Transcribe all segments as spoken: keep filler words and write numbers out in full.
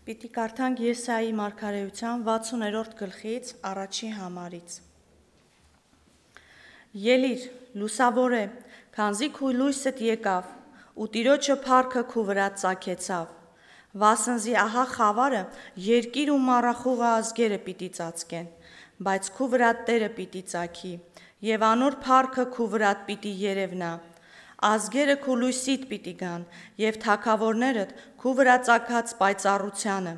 Պիտի կարդանք Եսայի մարգարեութեան վաթսուն երրորդ գլխից առաջի համարից։ Ելի՛ր, լուսաւորէ, քանզի քու լոյսդ եկաւ, ու Տիրոջը փառքը քու վրադ ծագեցաւ։ Վասն զի ահա խաւարը, երկիր ու մառախուղը ազգերը պիտի ծածկեն, բայց քու վրադ Տէրը պիտի ծագի, եւ անոր փառքը քու վրադ պիտի երեւնայ։ Ազգերը քու լոյսիդ պիտի գան, եւ թագաւորներդ քու վրայ ծագած պայծառութեանը։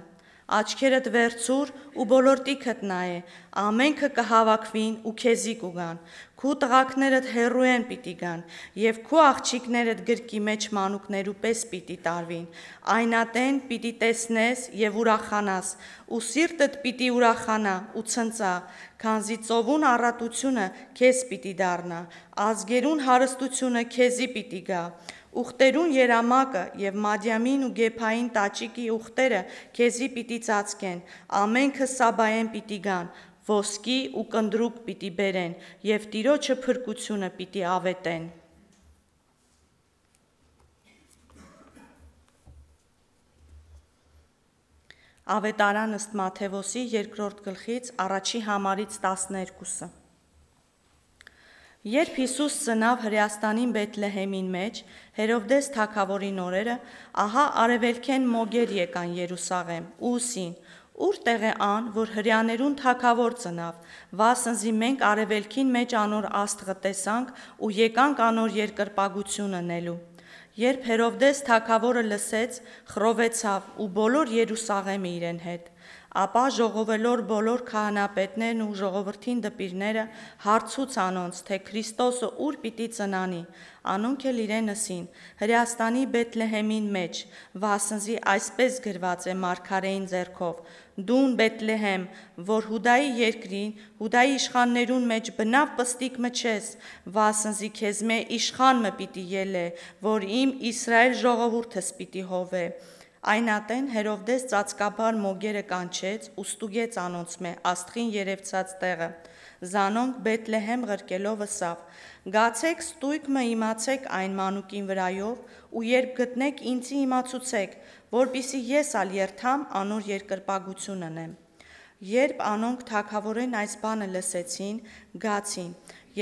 Աչքերդ վերցուր ու բոլոր տիքդ նայէ, ամէնքը կը հաւաքուին ու քեզի կու գան։ Քու տղաքներդ հեռուէն պիտի գան, եւ քու աղջիկներդ գրկի մէջ մանուկներու պէս պիտի տարուին։ Այն ատեն պիտի տեսնես եւ ուրախանաս, ու սիրտդ պիտի ուրախանայ ու ցնծայ, քանզի ծովուն առատութիւնը քեզ պիտի դառնայ, ազգերուն հարստութիւնը քեզի պիտի գայ։ Ուխտերուն երամակը եւ Մադիամին ու Գեբային տաճիկի ուխտերը քեզի պիտի ծածկեն, ամէնքը Սաբայէն պիտի գան, ոսկի ու կնդրուկ պիտի բերեն եւ Տիրոջը փրկութիւնը պիտի աւետեն։ Աւետարան ըստ Մատթեոսի երկրորդ գլխից առաջի համարից տասներկուսը։ Երբ Յիսուս ծնաւ Հրեաստանին Բեթլեհեմին մէջ, Հերովդէս թագաւորին օրերը, ահա արեւելքէն մոգեր եկան Երուսաղէմ ու ըսին. «Ո՞ւր տեղ է ան, որ հրեաներուն թագաւոր ծնաւ, վասն զի մենք արեւելքին մէջ անոր աստղը տեսանք ու եկանք անոր երկրպագութիւնը ընելու»։ Երբ Հերովդէս թագաւորը լսեց, խռովեցաւ ու բոլոր Երուսաղէմը իրեն հետ։ Ապա ժողովելոր բոլոր քահանայապետներն ու ժողովրդին դպիրները հարցուց անոնց, թէ Քրիստոսը ո՞ւր պիտի ծնանի։ Անոնք էլ իրեն ըսին. «Հրեաստանի Բեթլեհեմին մէջ, վասն զի այսպէս գրուած է մարգարէին ձեռքով. "Դուն, Բեթլեհեմ, որ Յուդայի երկրին, Յուդայի իշխաններուն մէջ բնաւ պստիկ մը չես, վասն զի քեզմէ իշխան մը պիտի ելլէ, որ իմ Իսրայէլ ժողովուրդս պիտի հովէ"։ Այն ատեն Հերովդէս ծածկաբար մոգերը կանչեց ու ստուգեց անոնցմէ աստղին երեւցած տեղը։ Զանոնք Բեթլեհեմ ղրկելով ըսաւ. «Գացէք, ստոյգ մը իմացէք այն մանուկին վրայով ու երբ գտնէք, ինծի իմացուցէք, որպիսի ես ալ երթամ անոր երկրպագութիւն ընեմ»։ Երբ անոնք թագաւորէն այս բանը լսեցին, գացին,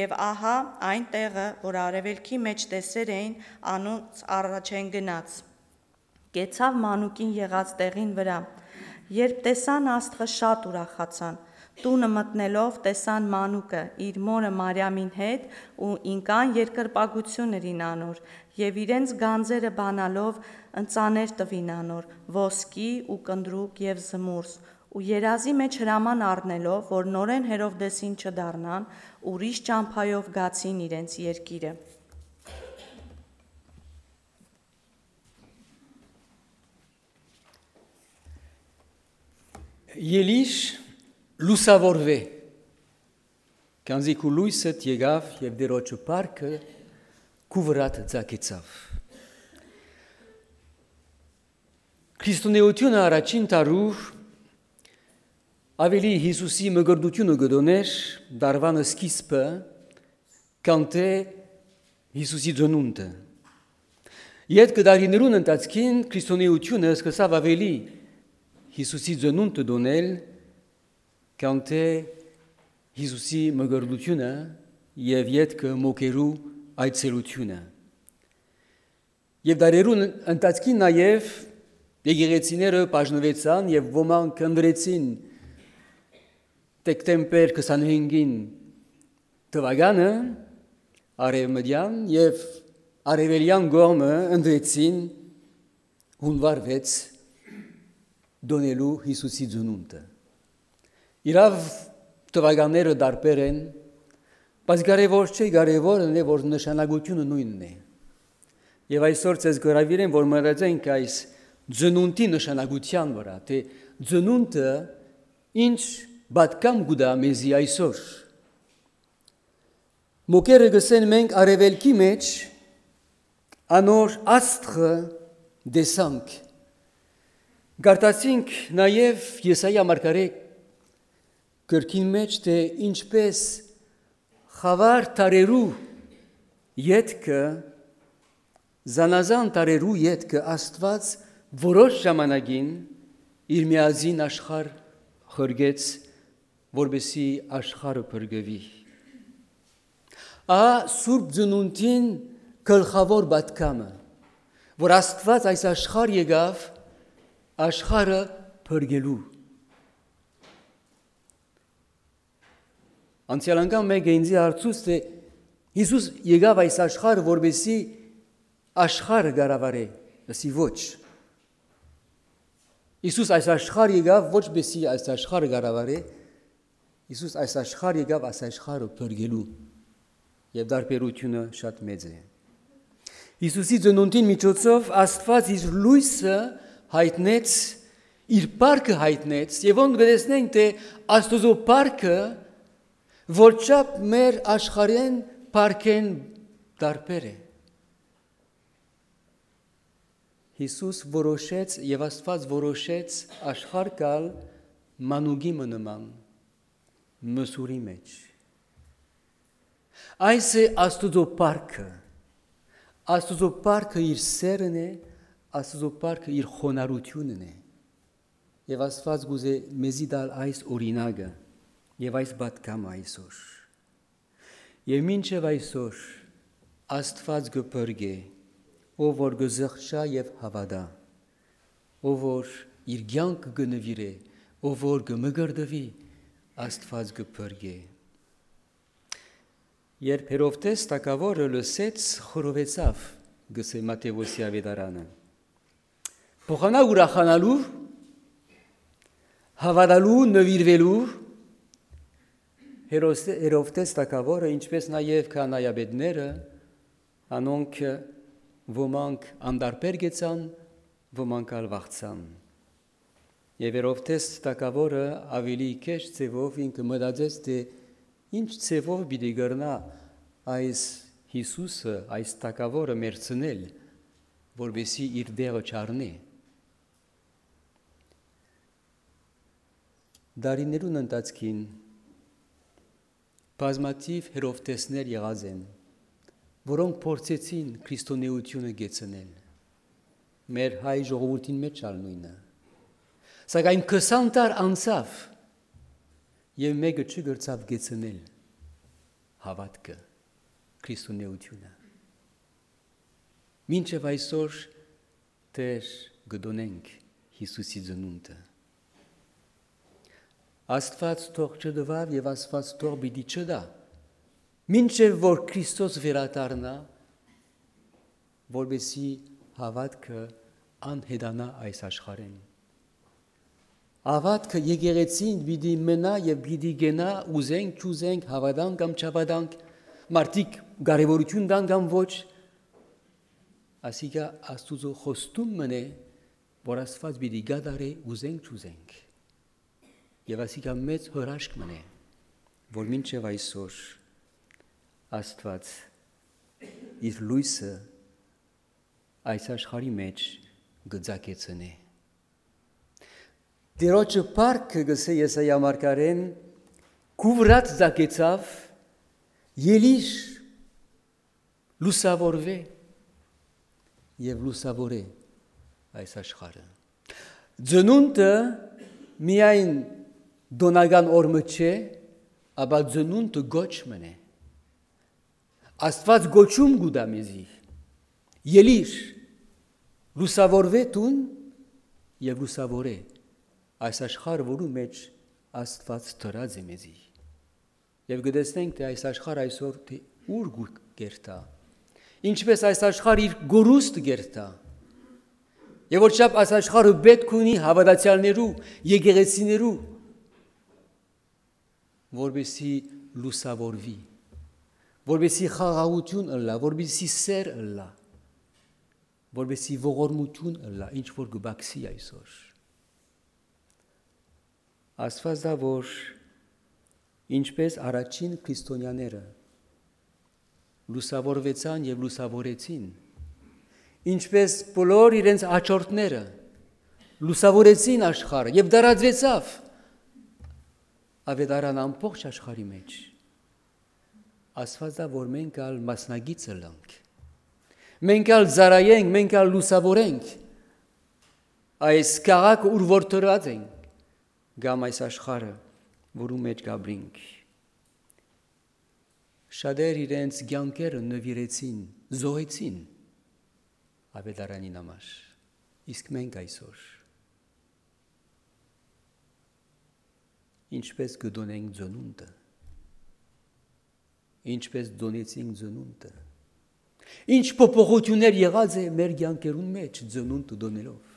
եւ ահա այն տեղը, որ արեւելքի մէջ տեսեր էին, անոնց առաջէն գնաց։ Կեցաւ մանուկին եղած տեղին վրայ։ Երբ տեսան աստղը, շատ ուրախացան։ Տունը մտնելով, տեսան մանուկը իր մօրը Մարիամին հետ ու ինկան երկրպագութիւն ըրին անոր եւ իրենց գանձերը բանալով ընծաներ տուին անոր, ոսկի ու կնդրուկ եւ զմուրս, ու երազի մէջ հրաման առնելով, որ նորէն Հերովդէսին չդառնան, ուրիշ ճամբայով գացին իրենց երկիրը։ Ելի՛ր, լուսաւորուէ, քանզի քու լոյսդ եկաւ եւ Տիրոջը փառքը քու վրադ ծագեցաւ։ Քրիստոնէութիւնը առաջին դարու աւելի Յիսուսի մկրտութիւնը կը դոնէր դարուան սկիզբը, քան թէ Յիսուսի ծնունդը։ Ետքը դարիներուն ընթացքին քրիստոնէութիւնը սկսաւ աւելի Յիսուսի ծնունդը դոնել, քան թէ Յիսուսի մկրտութիւնը եւ ետքը մոգերու այցելութիւնը։ Եւ դարերուն ընթացքին նաեւ եկեղեցիները բաժնուեցան եւ ոմանք ընտրեցին դեկտեմբեր քսանհինգին թուականը արեւմտեան եւ արեւելեան կողմը ընտրեցին յունուար վեց դոնելու Յիսուսի ծնունդը։ Իրաւ, թուականները տարբեր են, բայց կարեւոր չէ, կարեւորն է, որ նշանակութիւնը նոյնն է։ Եւ այսօր ձեզ կհրաւիրեմ, որ մտածենք այս ծնունդի նշանակութեան վրայ, թէ ծնունդը ինչ պատկան կու տայ մեզի այսօր։ Մոգերը կ'ըսեն, մենք արեւելքի մէջ անոր աստղը տեսանք։ Կարդացինք նաեւ Եսայի մարգարէ գրքին մէջ, թէ ինչպէս խաւար դարերու ետքը, զանազան դարերու ետքը Աստուած որոշ ժամանակին Իր միածին աշխարհ ղրկեց, որպեսզի աշխարհը փրկուի։ Ահա Սուրբ Ծնունդին գլխաւոր պատգամը, որ Աստուած այս աշխարհ եկաւ աշխարհը փրկելու։ Անցեալ անգամ մէկը ինծի հարցուց, թէ Յիսուս եկաւ այս աշխարհ, որպեսզի աշխարհը կառավարէ, ըսի՝ ոչ։ Յիսուս այս աշխարհ եկաւ ոչ պեսի այս աշխարհը կառավարէ, Յիսուս այս աշխարհ եկաւ այս աշխարհը փրկելու, եւ տարբերութիւնը շատ մեծ է։ Յիսուսի ծնունդին միջոցով Աստուած իր լոյսը յայտնեց, իր պարկը յայտնեց, եւ ոնք կը տեսնենք, թէ Աստուծոյ պարկը, որ չափ մեր աշխարհէն պարկէն տարբեր է։ Յիսուս որոշեց եւ Աստուած որոշեց աշխարհ գալ մանուկի մը նման, մսուրի մէջ։ Այս է Աստուծոյ պարկը։ Աստուծոյ պարկը իր սէրն է, Աստուծոյ պարկը իր խոնարհութիւնն է։ Եւ Աստուած կ'ուզէ մեզի տալ այս օրինակը եւ այս պատգամը այսօր։ Եւ մինչեւ այսօր Աստուած կը փրկէ, ով որ կը զղջայ եւ հաւատայ, ով որ իր կեանքը կը նուիրէ, ով որ կը մկրտուի, Աստուած կը փրկէ։ Երբ Հերովդէս թագաւորը լսեց, խռովեցաւ, գսէ Մատթեոսի աւետարանը։ Փոխանակ ուրախանալու, հաւատալու, նուիրուելու, Հերոս-, Հերովդէս թագաւորը, ինչպէս նաեւ քահանայապետները, անոնք, ոմանք անտարբեր գեցան, ոմանք ալ վախցան։ Եւ Հերովդէս թագաւորը աւելի գէշ ձեւով ինքը մտածեց, թէ ինչ ձեւով պիտի կրնայ այս Յիսուսը, այս թագաւորը մեռցնել, որպեսզի իր տեղը չառնէ։ Տարիներուն ընթացքին բազմաթիւ Հերովդէսներ եղած են, որոնք փորձեցին քրիստոնէութիւնը կեցնել։ Մեր հայ ժողովուրդին մէջ ալ նոյնը։ Սակայն քսան դար անցաւ եւ մէկը չկրցաւ կեցնել հաւատքը, քրիստոնէութիւնը։ Մինչեւ այսօր դեռ կը տօնենք Յիսուսի ծնունդը։ Աստուած թող չտուաւ եւ Աստուած թող պիտի չտայ, մինչեւ որ Քրիստոս վերադառնայ, որպեսզի հաւատքը անհետանայ այս աշխարհէն։ Հաւատքը եկեղեցին պիտի մնայ եւ պիտի կենայ, ուզենք, չուզենք, հաւատանք կամ չհաւատանք, մարդիկ կարեւորութիւն տան կամ ոչ, ասիկա Աստուծոյ խոստում մըն է, որ Աստուած պիտի կատարէ, ուզենք, չուզենք։ Եւ ասիկա մեծ հրաշք մըն է, որ մինչեւ այսօր Աստուած իր լոյսը այս աշխարհի մէջ կը ծագեցնէ։ Տիրոջը պարկը, գսէ Եսայա մարգարէն, քուվրած ծագեցաւ, ելիր, լուսաւորուէ եւ լուսաւորէ այս աշխարհը։ Ծնունդը միայն տօնական օր մը չէ, ապա ծնունդը կոչ մըն է։ Աստուած կոչում կու տայ մեզի. «Ելիր, լուսաւորուէ դուն եւ լուսաւորէ այս աշխարհը, որու մէջ Աստուած դրած է մեզի»։ Եւ կը տեսնենք, թէ այս աշխարհ այսօր թէ ուր կու կերթայ, ինչպէս այս աշխարհ իր կորուստը կերթայ, եւ որ չափ այս աշխարհը պէտք ունի հաւատացեալներու, եկեղեցիներու, որպեսզի լուսաւորուի, որպեսզի խաղաղութիւն ըլլայ, որպեսզի սէր ըլլայ, որպեսզի ողորմութիւն ըլլայ, ինչ որ կը բացի այսօր։ Աստուած տայ, որ ինչպէս առաջին քրիստոնեաները լուսաւորուեցան եւ լուսաւորեցին, ինչպէս բոլոր իրենց աջորդները լուսաւորեցին աշխարհը եւ տարածուեցաւ աւետարան ամբողջ աշխարհի մէջ, Աստուած տայ, որ մենք ալ մասնակից ըլլանք, մենք ալ ծառայենք, մենք ալ լուսաւորենք այս քաղաքը, ուր որ դրած ենք, կամ այս աշխարհը, որու մէջ կ'ապրինք։ Շատեր իրենց կեանքերը նուիրեցին, զոհեցին աւետարանին համար, իսկ մենք այսօր ինչպէս կը տոնենք ծնունդը, ինչպէս տոնեցինք ծնունդը, ինչ փոփոխութիւններ եղած է մեր կեանքերուն մէջ ծնունդ տոնելով։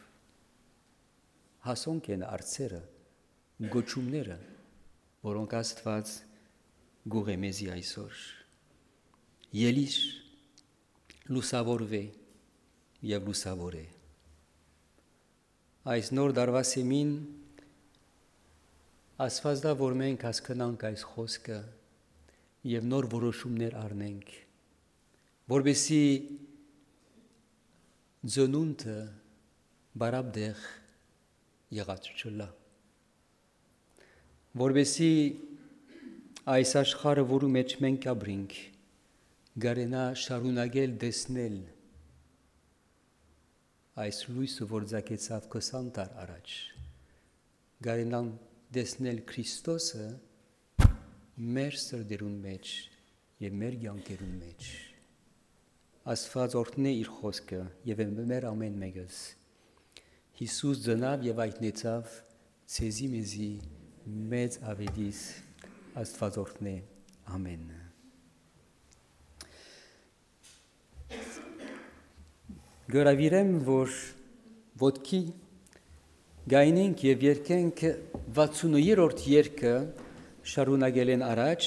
Հասոնք են արցերը, գոչումները, որոնք Աստուած կ'ուղղէ մեզի այսօր։ Ելի՛ր, լուսաւորուէ եւ լուսաւորէ։ Այս նոր դարուայ սեմին Աստուած տայ, որ մենք հասկնանք այս խօսքը եւ նոր որոշումներ առնենք, որպեսզի ծնունդը բարապտեղ եղած չըլլայ, որպեսզի այս աշխարհը, որու մէջ մենք կ'ապրինք, կարենայ շարունակել տեսնել այս լոյսը, որ ծագեցաւ քսան դար առաջ, կարենան տեսնել Քրիստոսը մեր սրտերուն մէջ եւ մեր կեանքերուն մէջ։ Աստուած օրհնէ իր խօսքը եւ մեր ամէն մէկս։ Յիսուս ծնաւ եւ հայտնեցաւ ձեզի, մեզի մեծ աւետիս։ Աստուած օրհնէ ամէնը։ Գորավիրեմ, որ ոտքի գայնենք եւ երկենք վաթսուններորդ երկը շարունակելէն առաջ,